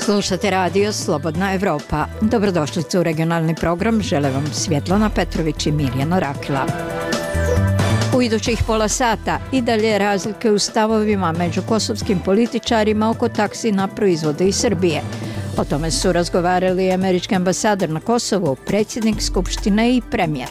Slušate radio Slobodna Evropa. Dobrodošlicu u regionalni program. Žele vam Svjetlana Petrović i Mirjana Rakila. U idućih pola sata i dalje razlike u stavovima među kosovskim političarima oko taksi na proizvode iz Srbije. O tome su razgovarali američki ambasador na Kosovu, predsjednik Skupštine i premijer.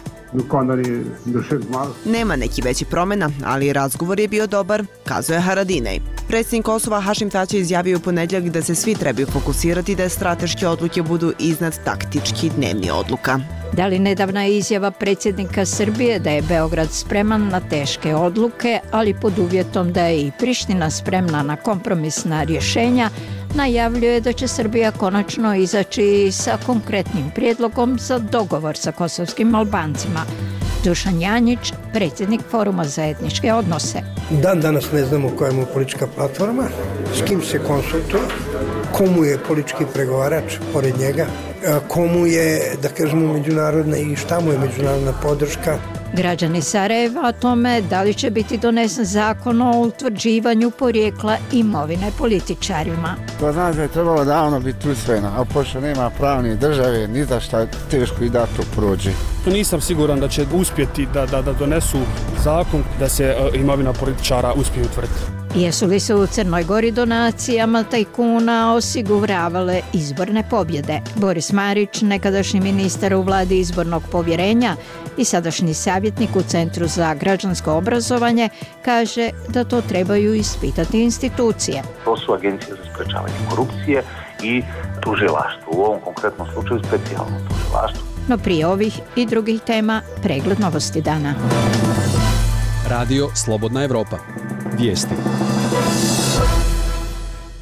Nema neki veći promjena, ali razgovor je bio dobar, kazuje Haradinaj. Predsjednik Kosova Hašim Tači izjavio u ponedjeljak da se svi trebaju fokusirati da strateške odluke budu iznad taktički dnevni odluka. Da li nedavna izjava predsjednika Srbije da je Beograd spreman na teške odluke, ali pod uvjetom da je i Priština spremna na kompromisna rješenja, najavljuje da će Srbija konačno izaći sa konkretnim prijedlogom za dogovor sa kosovskim Albancima. Dušan Janjić, predsjednik Foruma za etničke odnose. Dan danas ne znamo koja je politička platforma, s kim se konsultuje, komu je politički pregovarač pored njega, komu je, da kažemo, međunarodna i šta mu je međunarodna podrška. Građani Sarajeva o tome da li će biti donesen zakon o utvrđivanju porijekla imovine političarima. To znači da je trebalo davno biti usvojeno, a pošto nema pravne države, ni za šta teško i da to prođe. Nisam siguran da će uspjeti da donesu zakon da se imovina političara uspije utvrditi. Jesu li se u Crnoj Gori donacijama tajkuna osiguravale izborne pobjede? Boris Marić, nekadašnji ministar u vladi izbornog povjerenja i sadašnji savjetnik u Centru za građansko obrazovanje, kaže da to trebaju ispitati institucije. To su agencije za sprečavanje korupcije i tužilaštvo, u ovom konkretnom slučaju specijalno tužilaštvo. No prije ovih i drugih tema, pregled novosti dana. Radio Slobodna Evropa. Vijesti.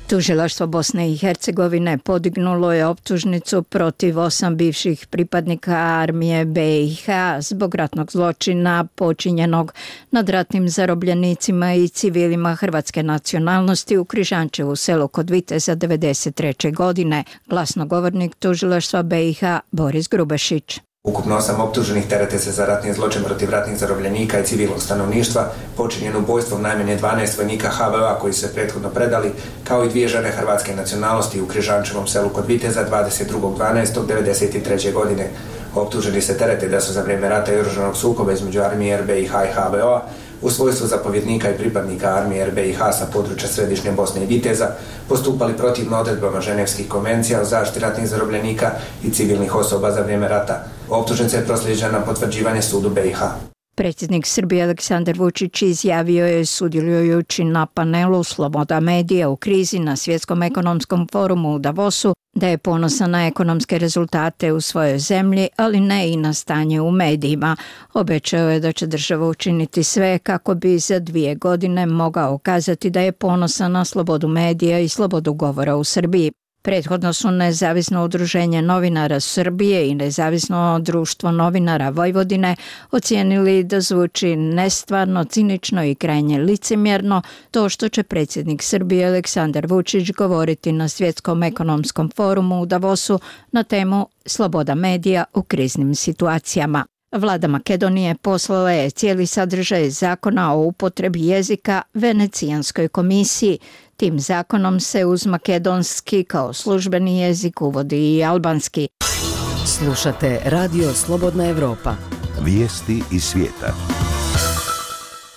Tužilaštvo Bosne i Hercegovine podignulo je optužnicu protiv 8 bivših pripadnika armije BiH zbog ratnog zločina počinjenog nad ratnim zarobljenicima i civilima hrvatske nacionalnosti u Križančevu selu kod Viteza 1993. godine. Glasnogovornik tužilaštva BiH Boris Grubešić. Ukupno 8 optuženih terete se za ratni zločin protiv ratnih zarobljenika i civilnog stanovništva, počinjen ubojstvom najmanje 12 vojnika HVO-a koji su se prethodno predali, kao i 2 žene hrvatske nacionalnosti u Križančevom selu kod Viteza 22.12.1993. godine. Optuženi se terete da su za vrijeme rata i oružanog sukoba između armije RBiH i HVO-a u svojstvu zapovjednika i pripadnika armije RBiH sa područja središnje Bosne i Viteza postupali protivno odredbama Ženevskih konvencija o zaštiti ratnih zarobljenika i civilnih osoba za vrijeme rata. Optužnica je proslijeđena na potvrđivanje sudu BiH. Predsjednik Srbije Aleksandar Vučić izjavio je, sudjelujući na panelu Sloboda medija u krizi na Svjetskom ekonomskom forumu u Davosu, da je ponosan na ekonomske rezultate u svojoj zemlji, ali ne i na stanje u medijima. Obećao je da će država učiniti sve kako bi za 2 godine mogao kazati da je ponosan na slobodu medija i slobodu govora u Srbiji. Prethodno su Nezavisno udruženje novinara Srbije i Nezavisno društvo novinara Vojvodine ocijenili da zvuči nestvarno, cinično i krajnje licemjerno to što će predsjednik Srbije Aleksandar Vučić govoriti na Svjetskom ekonomskom forumu u Davosu na temu Sloboda medija u kriznim situacijama. Vlada Makedonije poslala je cijeli sadržaj zakona o upotrebi jezika Venecijanskoj komisiji. Tim zakonom se uz makedonski kao službeni jezik uvodi i albanski. Slušate Radio Slobodna Evropa. Vijesti iz svijeta.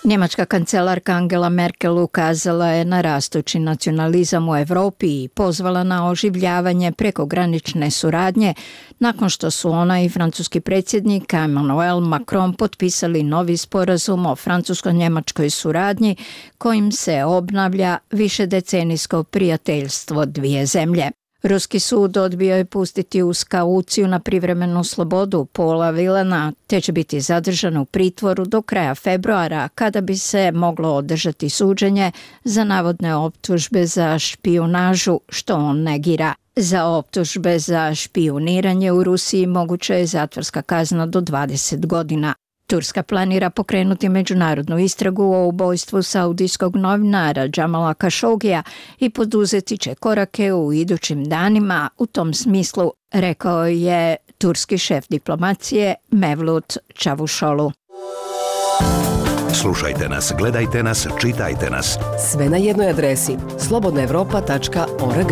Njemačka kancelarka Angela Merkel ukazala je na rastući nacionalizam u Europi i pozvala na oživljavanje prekogranične suradnje nakon što su ona i francuski predsjednik Emmanuel Macron potpisali novi sporazum o francusko-njemačkoj suradnji kojim se obnavlja višedecenijsko prijateljstvo dvije zemlje. Ruski sud odbio je pustiti uz kauciju na privremenu slobodu Paula Vilena, te će biti zadržan u pritvoru do kraja februara, kada bi se moglo održati suđenje za navodne optužbe za špijunažu, što on negira. Za optužbe za špijuniranje u Rusiji moguća je zatvorska kazna do 20 godina. Turska planira pokrenuti međunarodnu istragu o ubojstvu saudijskog novinara Džamala Kašogija i poduzeti će korake u idućim danima u tom smislu, rekao je turski šef diplomacije Mevlut Čavuşolu. Slušajte nas, gledajte nas, čitajte nas. Sve na jednoj adresi slobodnaevropa.org.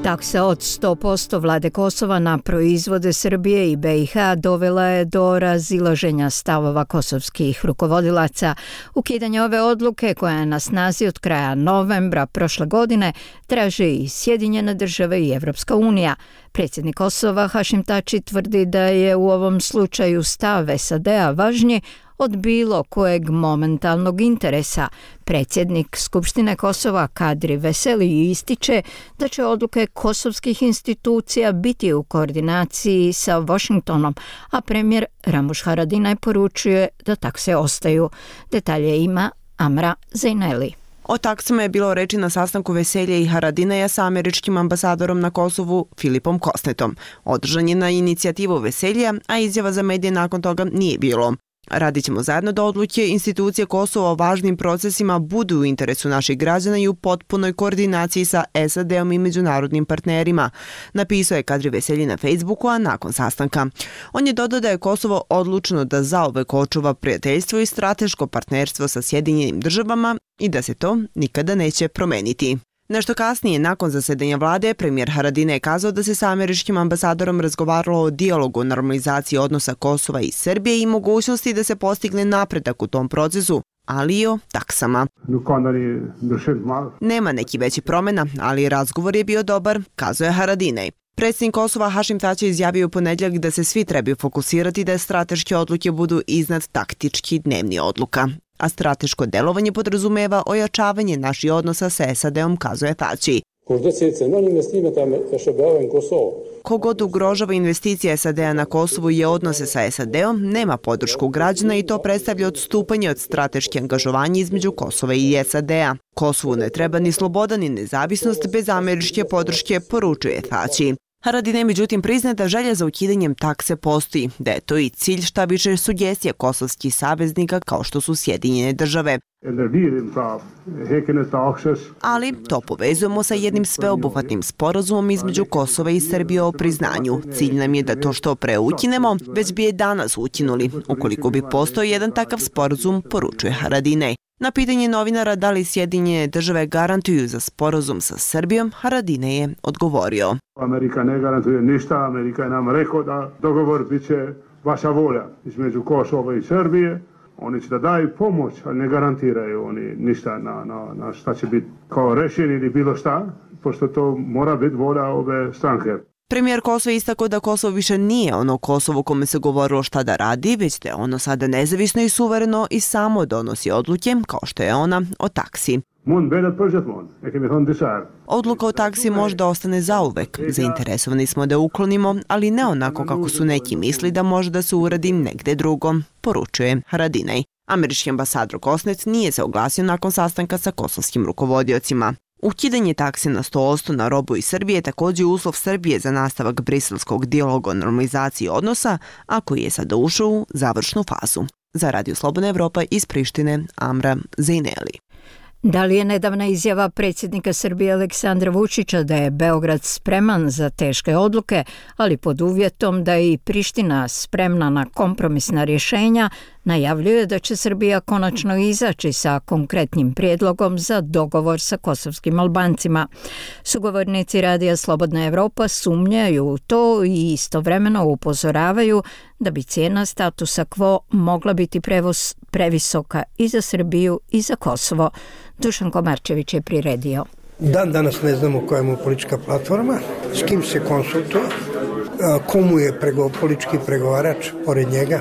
Taksa od 100% vlade Kosova na proizvode Srbije i BiH dovela je do razilaženja stavova kosovskih rukovodilaca. Ukidanje ove odluke, koja je na snazi od kraja novembra prošle godine, traže i Sjedinjene države i Evropska unija. Predsjednik Kosova Hašim Tači tvrdi da je u ovom slučaju stav SAD-a važniji od bilo kojeg momentalnog interesa. Predsjednik Skupštine Kosova Kadri Veseli ističe da će odluke kosovskih institucija biti u koordinaciji sa Washingtonom, a premijer Ramush Haradinaj poručuje da takse ostaju. Detalje ima Amra Zejneli. O taksama je bilo reči na sastanku Veselje i Haradinaja sa američkim ambasadorom na Kosovu Filipom Kosnetom. Održan je na inicijativu Veselja, a izjava za medije nakon toga nije bilo. Radit ćemo zajedno da odluke institucije Kosova o važnim procesima budu u interesu naših građana i u potpunoj koordinaciji sa SAD-om i međunarodnim partnerima, napisao je Kadri Veselji na Facebooku, a nakon sastanka. On je dodao da je Kosovo odlučno da zauvek očuva prijateljstvo i strateško partnerstvo sa Sjedinjenim državama i da se to nikada neće promeniti. Nešto kasnije, nakon zasedanja vlade, premijer Haradinaj je kazao da se sa američkim ambasadorom razgovaralo o dijalogu o normalizaciji odnosa Kosova i Srbije i mogućnosti da se postigne napredak u tom procesu, ali i o taksama. Nema neki veći promjena, ali razgovor je bio dobar, kazao je Haradinaj. Predsjednik Kosova Hašim Tači izjavio u ponedjeljak da se svi trebaju fokusirati da strateške odluke budu iznad taktički dnevni odluka. A strateško delovanje podrazumeva ojačavanje naših odnosa sa SAD-om, kazuje Tači. Kogod ugrožava investicije SAD-a na Kosovu i odnose sa SAD-om, nema podršku građana i to predstavlja odstupanje od strateške angažovanja između Kosova i SAD-a. Kosovu ne treba ni sloboda ni nezavisnost bez američke podrške, poručuje Tači. Haradinaj međutim priznaje da želja za ukidanjem takse postoji, da je to i cilj šta više sugestija kosovskih saveznika kao što su Sjedinjene države. Ali to povezujemo sa jednim sveobuhvatnim sporazumom između Kosova i Srbije o priznanju. Cilj nam je da to što pre ukinemo, već bi je danas ukinuli, ukoliko bi postojao jedan takav sporazum, poručuje Haradinaj. Na pitanje novinara da li Sjedinjene države garantuju za sporazum sa Srbijom, Haradinaj je odgovorio. Amerika ne garantuje ništa, Amerika je nam rekao da dogovor bit će vaša volja između Kosova i Srbije. Oni će da daju pomoć, ali ne garantiraju oni ništa na šta će biti kao rešenje ili bilo šta, pošto to mora biti volja ove stranke. Premijer Kosova istakao da Kosovo više nije ono Kosovo kome se govorilo šta da radi, već da je ono sada nezavisno i suvereno i samo donosi odluke, kao što je ona o taksi. Odluka o taksi možda ostane zauvek. Zainteresovani smo da uklonimo, ali ne onako kako su neki misli da može da se uradi negde drugom, poručuje Haradinaj. Američki ambasador Kosnet nije se oglasio nakon sastanka sa kosovskim rukovodiocima. Ukidanje takse na 100% na robu iz Srbije je također uslov Srbije za nastavak briselskog dijaloga o normalizaciji odnosa, a koji je sada ušao u završnu fazu. Za Radio Slobodna Evropa iz Prištine, Amra Zejneli. Da li je nedavna izjava predsjednika Srbije Aleksandra Vučića da je Beograd spreman za teške odluke, ali pod uvjetom da je i Priština spremna na kompromisna rješenja, najavljuje da će Srbija konačno izaći sa konkretnim prijedlogom za dogovor sa kosovskim Albancima. Sugovornici Radija Slobodna Evropa sumnjaju u to i istovremeno upozoravaju da bi cijena statusa quo mogla biti previsoka i za Srbiju i za Kosovo. Dušan Komarčević je priredio. Dan danas ne znamo koja mu politička platforma, s kim se konsultuje, komu je politički pregovarač pored njega,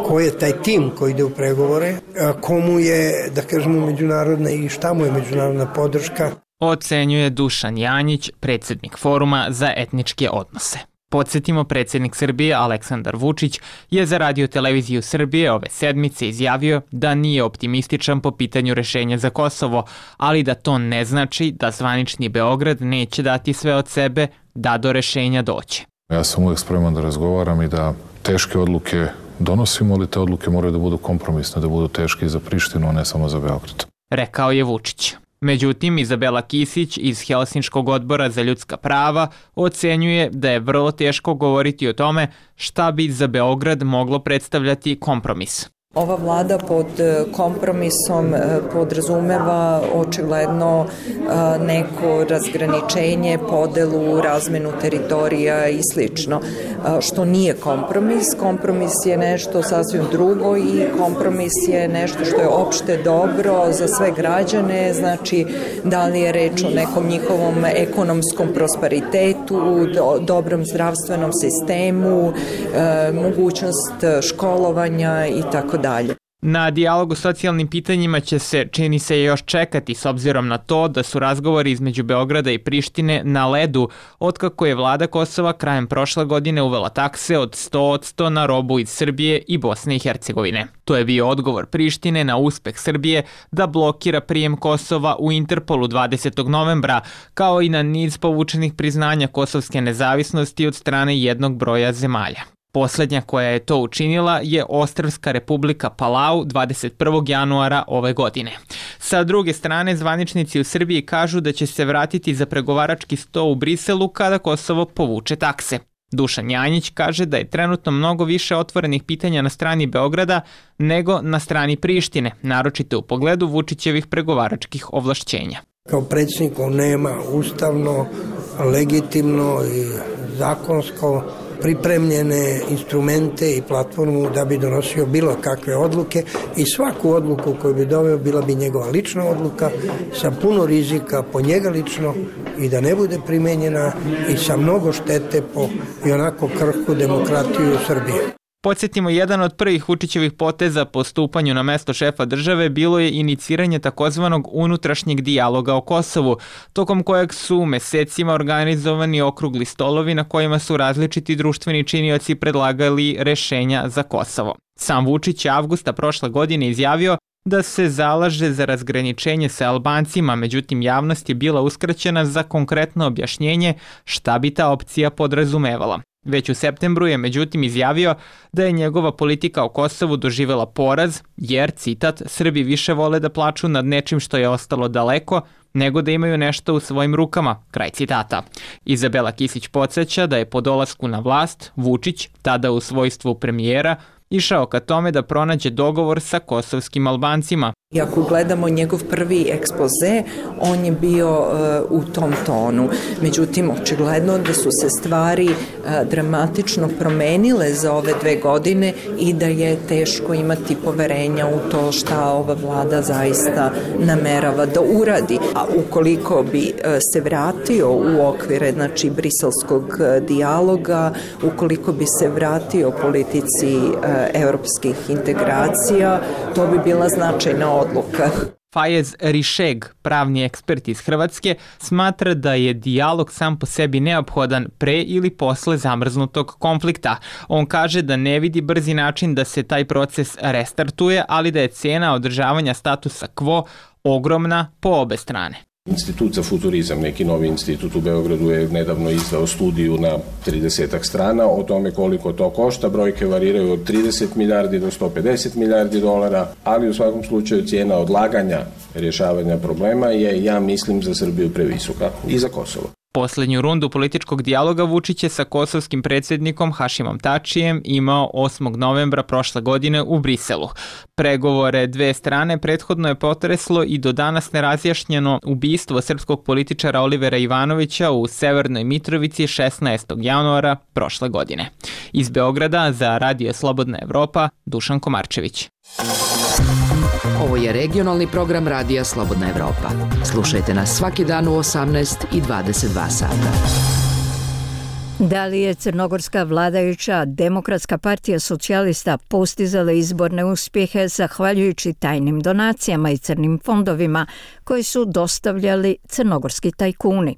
ko je taj tim koji ide u pregovore, komu je, da kažemo, međunarodna i šta mu je međunarodna podrška. Ocenjuje Dušan Janjić, predsjednik Foruma za etničke odnose. Podsjetimo, predsjednik Srbije Aleksandar Vučić je za Radio Televiziju Srbije ove sedmice izjavio da nije optimističan po pitanju rješenja za Kosovo, ali da to ne znači da zvanični Beograd neće dati sve od sebe da do rješenja doće. Ja sam uvijek spreman da razgovaram i da teške odluke donosimo, ali te odluke moraju da budu kompromisne, da budu teške i za Prištinu, a ne samo za Beograd. Rekao je Vučić. Međutim, Izabela Kisić iz Helsinškog odbora za ljudska prava ocenjuje da je vrlo teško govoriti o tome šta bi za Beograd moglo predstavljati kompromis. Ova vlada pod kompromisom podrazumeva očigledno neko razgraničenje, podelu, razmenu teritorija i slično, što nije kompromis. Kompromis je nešto sasvim drugo i kompromis je nešto što je opšte dobro za sve građane, znači da li je reč o nekom njihovom ekonomskom prosperitetu, dobrom zdravstvenom sistemu, mogućnost školovanja i tako dalje. Na dijalog o socijalnim pitanjima će se, čini se, još čekati s obzirom na to da su razgovori između Beograda i Prištine na ledu otkako je vlada Kosova krajem prošle godine uvela takse od 100% na robu iz Srbije i Bosne i Hercegovine. To je bio odgovor Prištine na uspeh Srbije da blokira prijem Kosova u Interpolu 20. novembra, kao i na niz povučenih priznanja kosovske nezavisnosti od strane jednog broja zemalja. Poslednja koja je to učinila je Ostrvska republika Palau 21. januara ove godine. Sa druge strane, zvaničnici u Srbiji kažu da će se vratiti za pregovarački sto u Briselu kada Kosovo povuče takse. Dušan Janjić kaže da je trenutno mnogo više otvorenih pitanja na strani Beograda nego na strani Prištine, naročito u pogledu Vučićevih pregovaračkih ovlašćenja. Kao predsjednik on nema ustavno, legitimno i zakonsko pripremljene instrumente i platformu da bi donosio bilo kakve odluke i svaku odluku koju bi doveo bila bi njegova lična odluka sa puno rizika po njega lično i da ne bude primenjena i sa mnogo štete po i onako krhku demokratiju Srbije. Podsjetimo, jedan od prvih Vučićevih poteza po stupanju na mesto šefa države bilo je iniciranje takozvanog unutrašnjeg dijaloga o Kosovu, tokom kojeg su mesecima organizovani okrugli stolovi na kojima su različiti društveni činioci predlagali rešenja za Kosovo. Sam Vučić je avgusta prošle godine izjavio da se zalaže za razgraničenje sa Albancima, međutim javnost je bila uskraćena za konkretno objašnjenje šta bi ta opcija podrazumevala. Već u septembru je međutim izjavio da je njegova politika o Kosovu doživela poraz jer, citat, Srbi više vole da plaču nad nečim što je ostalo daleko nego da imaju nešto u svojim rukama, kraj citata. Izabela Kisić podsjeća da je po dolasku na vlast Vučić, tada u svojstvu premijera, išao ka tome da pronađe dogovor sa kosovskim Albancima. I ako gledamo njegov prvi ekspoze, on je bio u tom tonu. Međutim, očigledno da su se stvari dramatično promenile za ove 2 godine i da je teško imati poverenja u to šta ova vlada zaista namerava da uradi. A ukoliko bi se vratio u okvire, znači, briselskog dijaloga, ukoliko bi se vratio politici evropskih integracija, to bi bila značajna odluka. Fajez Rišeg, pravni ekspert iz Hrvatske, smatra da je dijalog sam po sebi neophodan pre ili posle zamrznutog konflikta. On kaže da ne vidi brzi način da se taj proces restartuje, ali da je cena održavanja statusa quo ogromna po obe strane. Institut za futurizam, neki novi institut u Beogradu, je nedavno izdao studiju na 30 strana o tome koliko to košta. Brojke variraju od 30 milijardi do 150 milijardi dolara, ali u svakom slučaju cijena odlaganja rješavanja problema je, ja mislim, za Srbiju previsoka i za Kosovo. Poslednju rundu političkog dijaloga Vučić je sa kosovskim predsjednikom Hašimom Tačijem imao 8. novembra prošle godine u Briselu. Pregovore dve strane prethodno je potreslo i do danas nerazjašnjeno ubistvo srpskog političara Olivera Ivanovića u Severnoj Mitrovici 16. januara prošle godine. Iz Beograda za Radio Slobodna Evropa, Dušan Komarčević. Ovo je regionalni program Radija Slobodna Evropa. Slušajte nas svaki dan u 18 i 22 sata. Da li je crnogorska vladajuća Demokratska partija socijalista postizala izborne uspjehe zahvaljujući tajnim donacijama i crnim fondovima koji su dostavljali crnogorski tajkuni?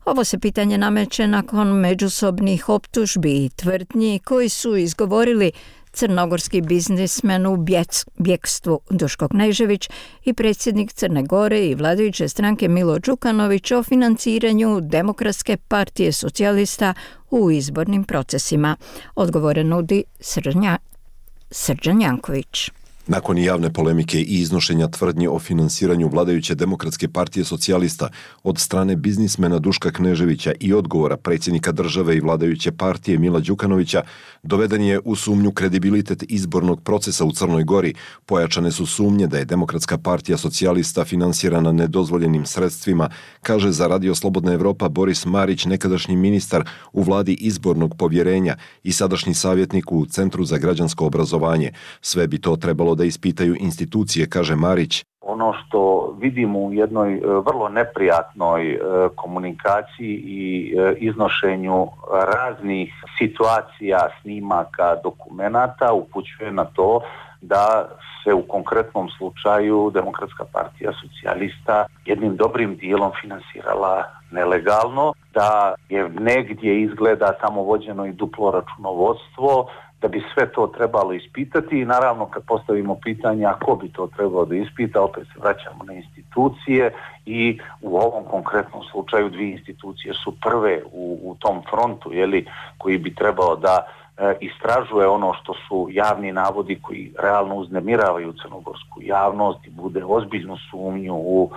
Ovo se pitanje nameće nakon međusobnih optužbi i tvrdnji koji su izgovorili crnogorski biznismen u bjekstvu Duško Knežević i predsjednik Crne Gore i vladajuće stranke Milo Đukanović o financiranju Demokratske partije socijalista u izbornim procesima. Odgovore nudi Srđan Janković. Nakon javne polemike i iznošenja tvrdnji o finansiranju vladajuće Demokratske partije socijalista od strane biznismena Duška Kneževića i odgovora predsjednika države i vladajuće partije Mila Đukanovića, doveden je u sumnju kredibilitet izbornog procesa u Crnoj Gori. Pojačane su sumnje da je Demokratska partija socijalista finansirana nedozvoljenim sredstvima, kaže za Radio Slobodna Evropa Boris Marić, nekadašnji ministar u vladi izbornog povjerenja i sadašnji savjetnik u Centru za građansko obrazovanje. Sve bi to trebalo da ispitaju institucije, kaže Marić. Ono što vidimo u jednoj vrlo neprijatnoj komunikaciji i iznošenju raznih situacija, snimaka, dokumenata upućuje na to da se u konkretnom slučaju Demokratska partija socijalista jednim dobrim dijelom finansirala nelegalno, da je negdje izgleda tamo vođeno i duplo računovodstvo, da bi sve to trebalo ispitati i naravno kad postavimo pitanje a ko bi to trebalo da ispita, opet se vraćamo na institucije i u ovom konkretnom slučaju dvije institucije su prve u tom frontu koji bi trebao da istražuje ono što su javni navodi koji realno uznemiravaju crnogorsku javnost i bude ozbiljnu sumnju u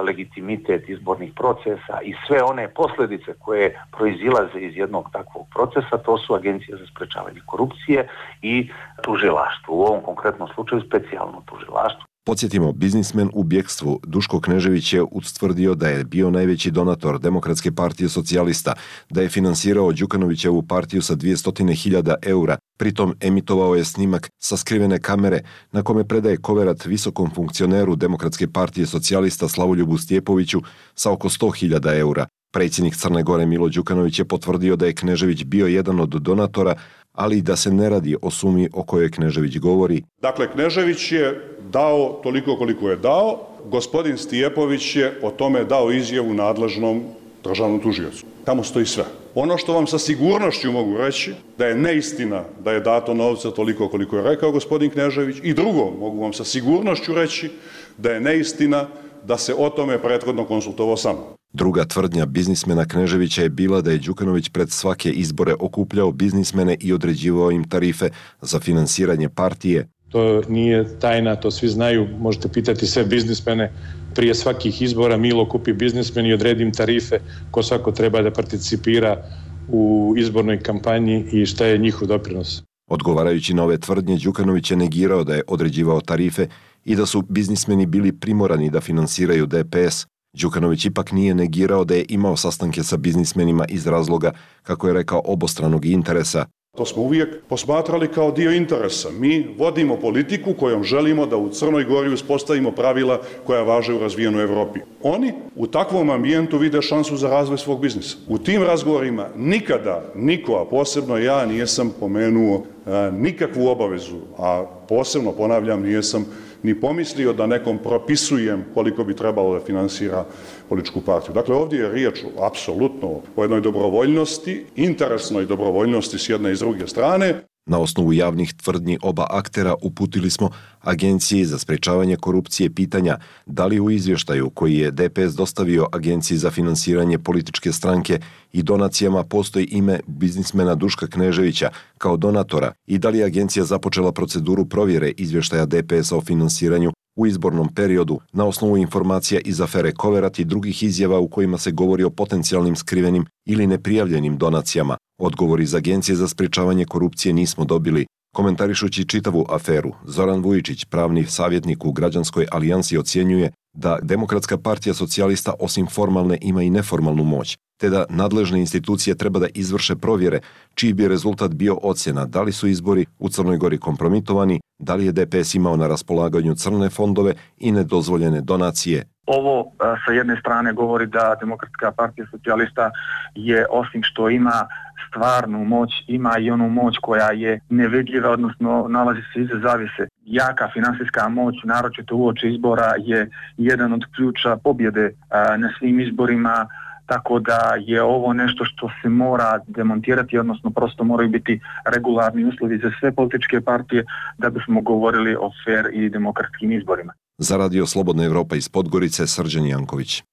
legitimitet izbornih procesa i sve one posljedice koje proizilaze iz jednog takvog procesa, to su Agencija za sprečavanje korupcije i tužilaštvo. U ovom konkretnom slučaju specijalno tužilaštvo. Podsjetimo, biznismen u bjekstvu Duško Knežević je ustvrdio da je bio najveći donator Demokratske partije socijalista, da je finansirao Đukanovićevu partiju sa 200.000 eura, pritom emitovao je snimak sa skrivene kamere na kome predaje koverat visokom funkcioneru Demokratske partije socijalista Slavoljubu Stjepoviću sa oko 100.000 eura. Predsjednik Crne Gore Milo Đukanović je potvrdio da je Knežević bio jedan od donatora, ali i da se ne radi o sumi o kojoj Knežević govori. Dakle, Knežević je dao toliko koliko je dao, gospodin Stjepović je o tome dao izjavu nadležnom državnom tužiocu. Tamo stoji sve. Ono što vam sa sigurnošću mogu reći, da je neistina da je dato novca toliko koliko je rekao gospodin Knežević, i drugo, mogu vam sa sigurnošću reći da je neistina da se o tome prethodno konsultovao sa mnom. Druga tvrdnja biznismena Kneževića je bila da je Đukanović pred svake izbore okupljao biznismene i određivao im tarife za finansiranje partije. To nije tajna, to svi znaju, možete pitati sve biznismene. Prije svakih izbora Milo kupi biznismen i odredi im tarife ko svako treba da participira u izbornoj kampanji i šta je njihov doprinos. Odgovarajući na ove tvrdnje, Đukanović je negirao da je određivao tarife i da su biznismeni bili primorani da finansiraju DPS. Đukanović ipak nije negirao da je imao sastanke sa biznismenima iz razloga, kako je rekao, obostranog interesa. To smo uvijek posmatrali kao dio interesa. Mi vodimo politiku kojom želimo da u Crnoj Gori uspostavimo pravila koja važe u razvijenoj Evropi. Oni u takvom ambijentu vide šansu za razvoj svog biznisa. U tim razgovorima nikada niko, a posebno ja, nisam pomenuo nikakvu obavezu, a posebno, ponavljam, nisam ni pomislio da nekom propisujem koliko bi trebalo da finansira političku partiju. Dakle, ovdje je riječ apsolutno o jednoj dobrovoljnosti, interesnoj dobrovoljnosti s jedne i s druge strane. Na osnovu javnih tvrdnji oba aktera uputili smo Agenciji za sprečavanje korupcije pitanja da li u izvještaju koji je DPS dostavio Agenciji za finansiranje političke stranke i donacijama postoji ime biznismena Duška Kneževića kao donatora i da li je Agencija započela proceduru provjere izvještaja DPS-a o finansiranju u izbornom periodu na osnovu informacija iz afere Koverat i drugih izjava u kojima se govori o potencijalnim skrivenim ili neprijavljenim donacijama. Odgovor iz Agencije za sprečavanje korupcije nismo dobili. Komentarišući čitavu aferu, Zoran Vujičić, pravni savjetnik u Građanskoj alijansi, ocjenjuje da Demokratska partija socijalista osim formalne ima i neformalnu moć, te da nadležne institucije treba da izvrše provjere čiji bi rezultat bio ocjena da li su izbori u Crnoj Gori kompromitovani, da li je DPS imao na raspolaganju crne fondove i nedozvoljene donacije. Ovo sa jedne strane govori da Demokratska partija socijalista je, osim što ima stvarnu moć, ima i onu moć koja je nevidljiva, odnosno nalazi se iza zavjese. Jaka finansijska moć, naročito uoči izbora, je jedan od ključa pobjede na svim izborima, tako da je ovo nešto što se mora demontirati, odnosno prosto moraju biti regularni uslovi za sve političke partije da bismo govorili o fer i demokratskim izborima. Za Radio Slobodna Evropa iz Podgorice, Srđan Janković.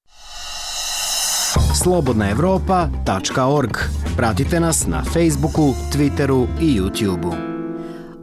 slobodnaevropa.org. Pratite nas na Facebooku, Twitteru i YouTubeu.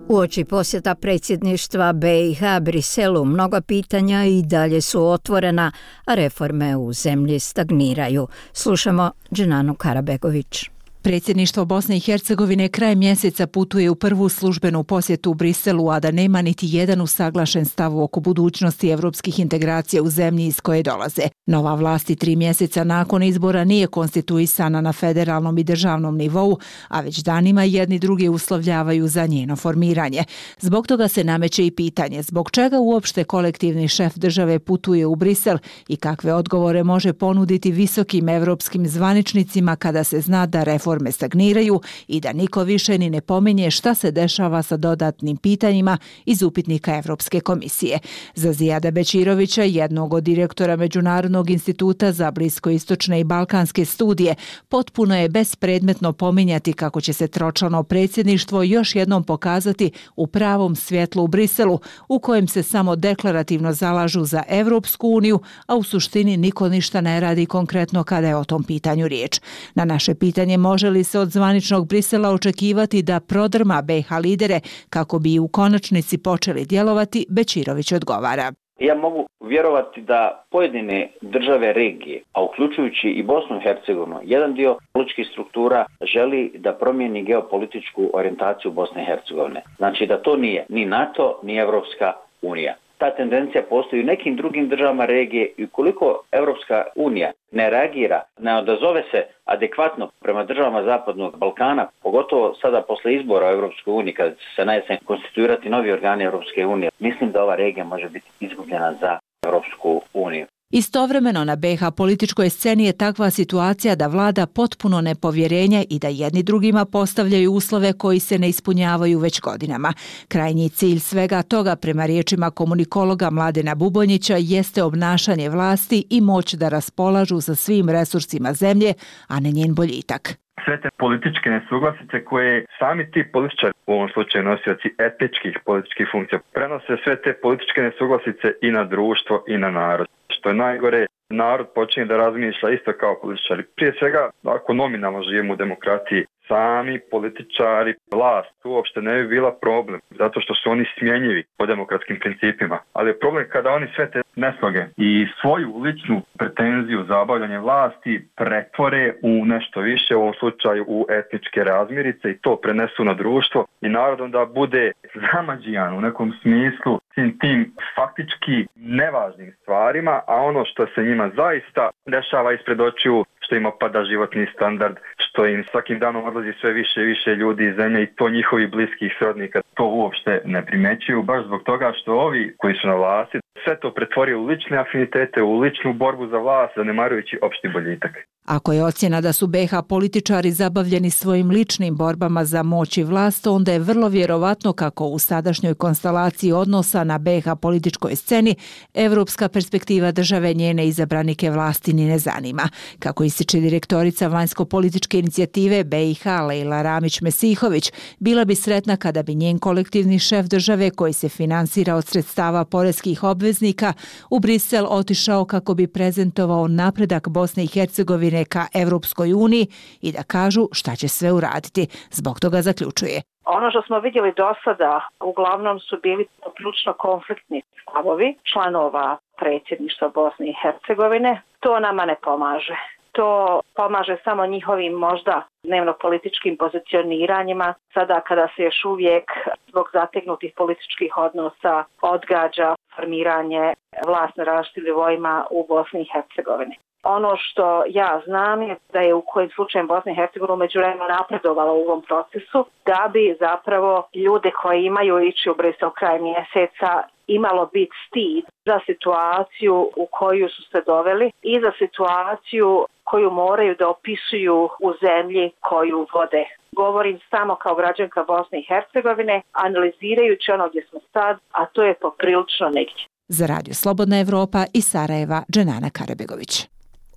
Uoči posjeta predsjedništva BiH Briselu mnoga pitanja i dalje su otvorena, a reforme u zemlji stagniraju. Slušamo Dženanu Karabegović. Predsjedništvo Bosne i Hercegovine krajem mjeseca putuje u prvu službenu posjetu u Briselu, a da nema niti jedan usaglašen stav oko budućnosti evropskih integracija u zemlji iz koje dolaze. Nova vlast 3 mjeseca nakon izbora nije konstituisana na federalnom i državnom nivou, a već danima jedni drugi uslovljavaju za njeno formiranje. Zbog toga se nameće i pitanje zbog čega uopšte kolektivni šef države putuje u Brisel i kakve odgovore može ponuditi visokim evropskim zvaničnicima kada se zna da reforme stagniraju i da niko više ni ne pominje šta se dešava sa dodatnim pitanjima iz upitnika Evropske komisije. Za Zijada Bećirovića, jednog od direktora Međunarodnog instituta za bliskoistočne i balkanske studije, potpuno je bespredmetno pominjati kako će se tročlano predsjedništvo još jednom pokazati u pravom svjetlu u Briselu, u kojem se samo deklarativno zalažu za Evropsku uniju, a u suštini niko ništa ne radi konkretno kada je o tom pitanju riječ. Na naše pitanje može li se od zvaničnog Brisela očekivati da prodrma BiH lidere kako bi u konačnici počeli djelovati, Bećirović odgovara. Ja mogu vjerovati da pojedine države regije, a uključujući i Bosnu i Hercegovinu, jedan dio političkih struktura želi da promijeni geopolitičku orijentaciju Bosne i Hercegovine. Znači da to nije ni NATO, ni Evropska unija. Ta tendencija postoji u nekim drugim državama regije i ukoliko Evropska unija ne reagira, ne odazove se adekvatno prema državama Zapadnog Balkana, pogotovo sada posle izbora u Evropskoj uniji, kada će se na jesen konstituirati novi organi Evropske unije, mislim da ova regija može biti izgubljena za Evropsku uniju. Istovremeno na BiH političkoj sceni je takva situacija da vlada potpuno nepovjerenje i da jedni drugima postavljaju uslove koji se ne ispunjavaju već godinama. Krajnji cilj svega toga, prema riječima komunikologa Mladena Bubonjića, jeste obnašanje vlasti i moć da raspolažu sa svim resursima zemlje, a ne njen boljitak. Sve te političke nesuglasice koje sami ti političari, u ovom slučaju nosioci etničkih političkih funkcija, prenose sve te političke nesuglasice i na društvo i na narod. Što je najgore, narod počinje da razmišlja isto kao političari. Prije svega, ako nominalno živimo u demokraciji, sami političari, vlast uopšte ne bi bila problem, zato što su oni smjenjivi po demokratskim principima. Ali je problem kada oni sve te nesloge i svoju ličnu pretenziju za obavljanje vlasti pretvore u nešto više, u ovom slučaju u etničke razmirice i to prenesu na društvo i narod onda bude zamađijan u nekom smislu tim faktički nevažnim stvarima, a ono što se njima zaista dešava ispred očiju, što ima pada životni standard, što im svakim danom odlazi sve više i više ljudi iz zemlje i to njihovi bliskih srodnika to uopšte ne primećuju, baš zbog toga što ovi koji su na vlasti sve to pretvori u lične afinitete, u ličnu borbu za vlast, zanemarujući opšti boljitak. Ako je ocjena da su BiH političari zabavljeni svojim ličnim borbama za moć i vlast, onda je vrlo vjerovatno kako u sadašnjoj konstelaciji odnosa na BiH političkoj sceni evropska perspektiva države njene izabranike vlasti ni ne zanima. Kako ističe direktorica vanjsko-političke inicijative BiH Lejla Ramić-Mesihović, bila bi sretna kada bi njen kolektivni šef države koji se finansira od sredstava poreskih obveznika u Brisel otišao kako bi prezentovao napredak Bosne i Hercegovine ka Evropskoj uniji i da kažu šta će sve uraditi. Zbog toga zaključuje. Ono što smo vidjeli do sada uglavnom su bili ključno konfliktni stavovi članova predsjedništva Bosne i Hercegovine. To nama ne pomaže. To pomaže samo njihovim možda dnevno-političkim pozicioniranjima, sada kada se još uvijek zbog zategnutih političkih odnosa odgađa formiranje vlasti na različitim nivoima u Bosni i Hercegovini. Ono što ja znam je da je u kojim slučajem Bosna i Hercegovina umeđuvremenu napredovala u ovom procesu, da bi zapravo ljude koji imaju ići u Brisel kraj mjeseca imalo biti stid za situaciju u koju su se doveli i za situaciju koju moraju da opisuju u zemlji koju vode. Govorim samo kao građanka Bosne i Hercegovine, analizirajući ono gdje smo sad, a to je poprilično negdje. Za Radio Slobodna Evropa iz Sarajeva, Dženana Karabegović.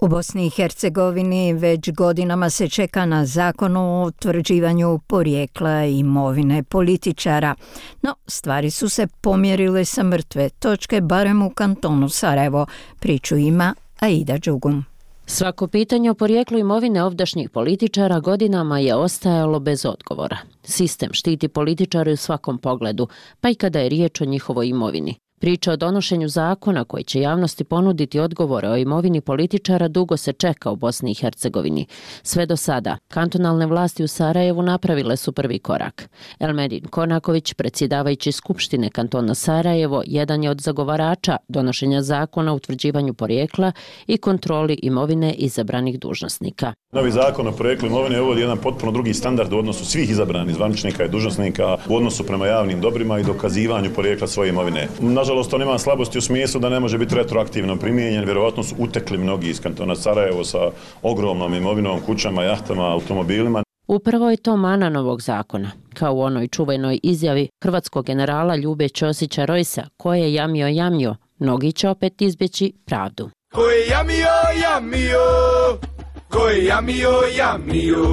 U Bosni i Hercegovini već godinama se čeka na zakon o utvrđivanju porijekla imovine političara, no stvari su se pomjerile sa mrtve točke, barem u kantonu Sarajevo. Priču ima Aida Đugum. Svako pitanje o porijeklu imovine ovdašnjih političara godinama je ostajalo bez odgovora. Sistem štiti političare u svakom pogledu, pa i kada je riječ o njihovoj imovini. Priča o donošenju zakona koji će javnosti ponuditi odgovore o imovini političara dugo se čeka u Bosni i Hercegovini. Sve do sada, kantonalne vlasti u Sarajevu napravile su prvi korak. Elmedin Konaković, predsjedavajući Skupštine kantona Sarajevo, jedan je od zagovarača donošenja zakona o utvrđivanju porijekla i kontroli imovine izabranih dužnosnika. Novi zakon o porijeklu imovine uvodi jedan potpuno drugi standard u odnosu svih izabranih zvaničnika i dužnosnika u odnosu prema javnim dobrima i dokazivanju porijekla svoje imovine. Nažalost, on ima slabosti u smislu da ne može biti retroaktivno primijenjen. Vjerovatno su utekli mnogi iz kantona Sarajevo sa ogromnom imovinom, kućama, jahtama, automobilima. Upravo je to mana novog zakona, kao u onoj čuvenoj izjavi hrvatskog generala Ljube Ćosića Rojsa, koje je jamio, mnogi će opet izbjeći pravdu. Ko je jamio, ko je jamio.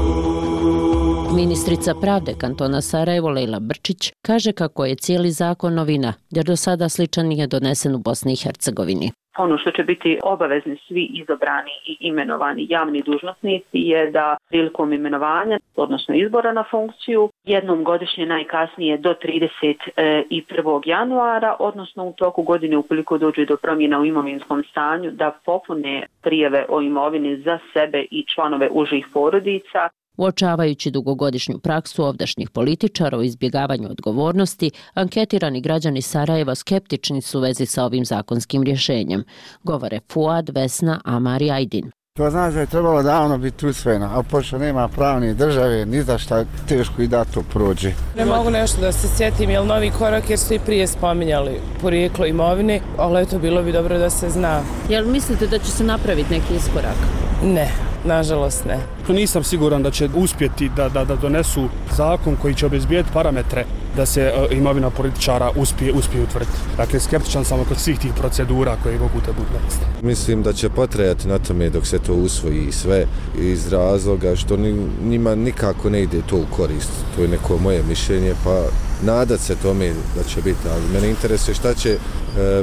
Ministrica pravde kantona Sarajevo Lejla Brčić kaže kako je cijeli zakon novina, jer do sada sličan nije donesen u Bosni i Hercegovini. Ono što će biti obavezni svi izabrani i imenovani javni dužnosnici je da prilikom imenovanja, odnosno izbora na funkciju, jednom godišnje najkasnije do 31. januara, odnosno u toku godine ukoliko dođe do promjena u imovinskom stanju, da popune prijave o imovini za sebe i članove užih porodica. Uočavajući dugogodišnju praksu ovdašnjih političara o izbjegavanju odgovornosti, anketirani građani Sarajeva skeptični su u vezi sa ovim zakonskim rješenjem, govore Fuad, Vesna, Amar i Ajdin. To znači da je trebalo davno biti usvojeno, a pošto nema pravne države, ni za šta teško i da to prođe. Ne mogu nešto da se sjetim, je li novi korak jer su i prije spominjali porijeklo imovine, ali eto bilo bi dobro da se zna. Jel mislite da će se napraviti neki iskorak? Ne. Nažalost ne. Nisam siguran da će uspjeti da donesu zakon koji će obezbijeti parametre da se imovina političara uspije utvrditi. Dakle, skeptičan sam oko svih tih procedura koje mogu da budu donesti. Mislim da će potrajati na tome dok se to usvoji sve iz razloga što njima nikako ne ide to u korist. To je neko moje mišljenje, pa nadat se tome da će biti. Ali mene interesuje šta će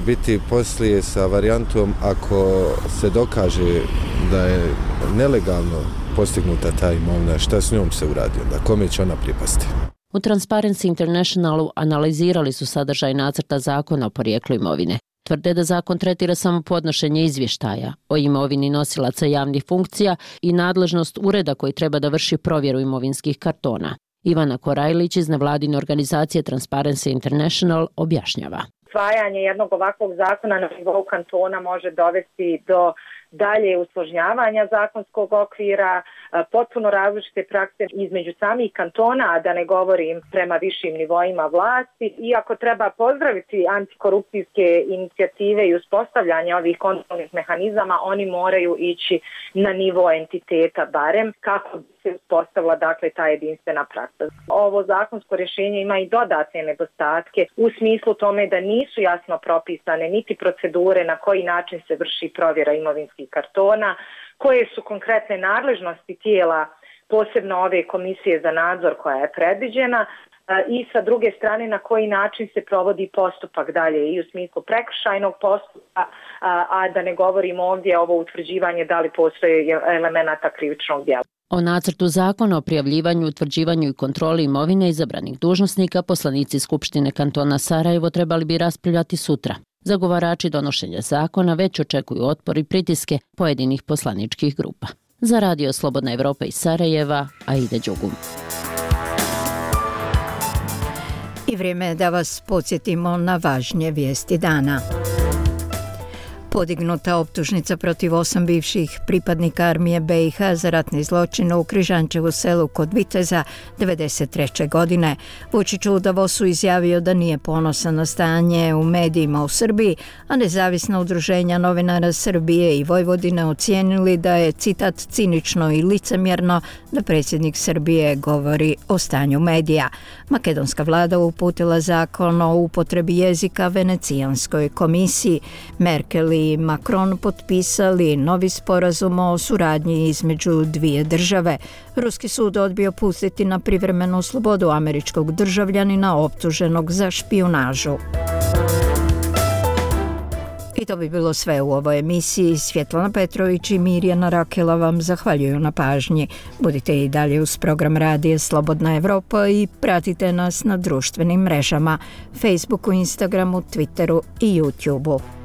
biti poslije sa varijantom ako se dokaže da je nelegalno postignuta ta imovina, šta s njom se uradi onda, kome će ona pripasti? U Transparency Internationalu analizirali su sadržaj nacrta zakona o porijeklu imovine. Tvrde da zakon tretira samo podnošenje izvještaja o imovini nosilaca javnih funkcija i nadležnost ureda koji treba da vrši provjeru imovinskih kartona. Ivana Korajlić iz nevladine organizacije Transparency International objašnjava. Usvajanje jednog ovakvog zakona na nivou kantona može dovesti do dalje usložnjavanja zakonskog okvira, potpuno različite prakse između samih kantona, a da ne govorim prema višim nivoima vlasti. Iako treba pozdraviti antikorupcijske inicijative i uspostavljanje ovih kontrolnih mehanizama, oni moraju ići na nivo entiteta barem kako bi se uspostavila dakle ta jedinstvena praksa. Ovo zakonsko rješenje ima i dodatne nedostatke u smislu tome da nisu jasno propisane niti procedure na koji način se vrši provjera imovinskih kartona, koje su konkretne nadležnosti tijela, posebno ove komisije za nadzor koja je predviđena, i sa druge strane na koji način se provodi postupak dalje i u smislu prekršajnog postupka, a da ne govorimo ovdje ovo utvrđivanje da li postoje elemenata krivičnog djela. O nacrtu zakona o prijavljivanju, utvrđivanju i kontroli imovine izabranih dužnosnika poslanici Skupštine kantona Sarajevo trebali bi raspravljati sutra. Zagovarači donošenja zakona već očekuju otpor i pritiske pojedinih poslaničkih grupa. Za Radio Slobodna Evropa iz Sarajeva, Aida Đugum. I vrijeme je da vas podsjetimo na važnije vijesti dana. Podignuta optužnica protiv 8 bivših pripadnika armije BiH za ratne zločine u Križančevu selu kod Viteza 1993. godine. Vučić u Davosu izjavio da nije ponosan na stanje u medijima u Srbiji, a nezavisna udruženja novinara Srbije i Vojvodine ocijenili da je, citat, cinično i licemjerno da predsjednik Srbije govori o stanju medija. Makedonska vlada uputila zakon o upotrebi jezika Venecijanskoj komisiji. Merkel i Macron potpisali novi sporazum o suradnji između dvije države. Ruski sud odbio pustiti na privremenu slobodu američkog državljanina optuženog za špijunažu. I to bi bilo sve u ovoj emisiji. Svjetlana Petrović i Mirjana Rakela vam zahvaljuju na pažnji. Budite i dalje uz program Radija Slobodna Evropa i pratite nas na društvenim mrežama, Facebooku, Instagramu, Twitteru i YouTubeu.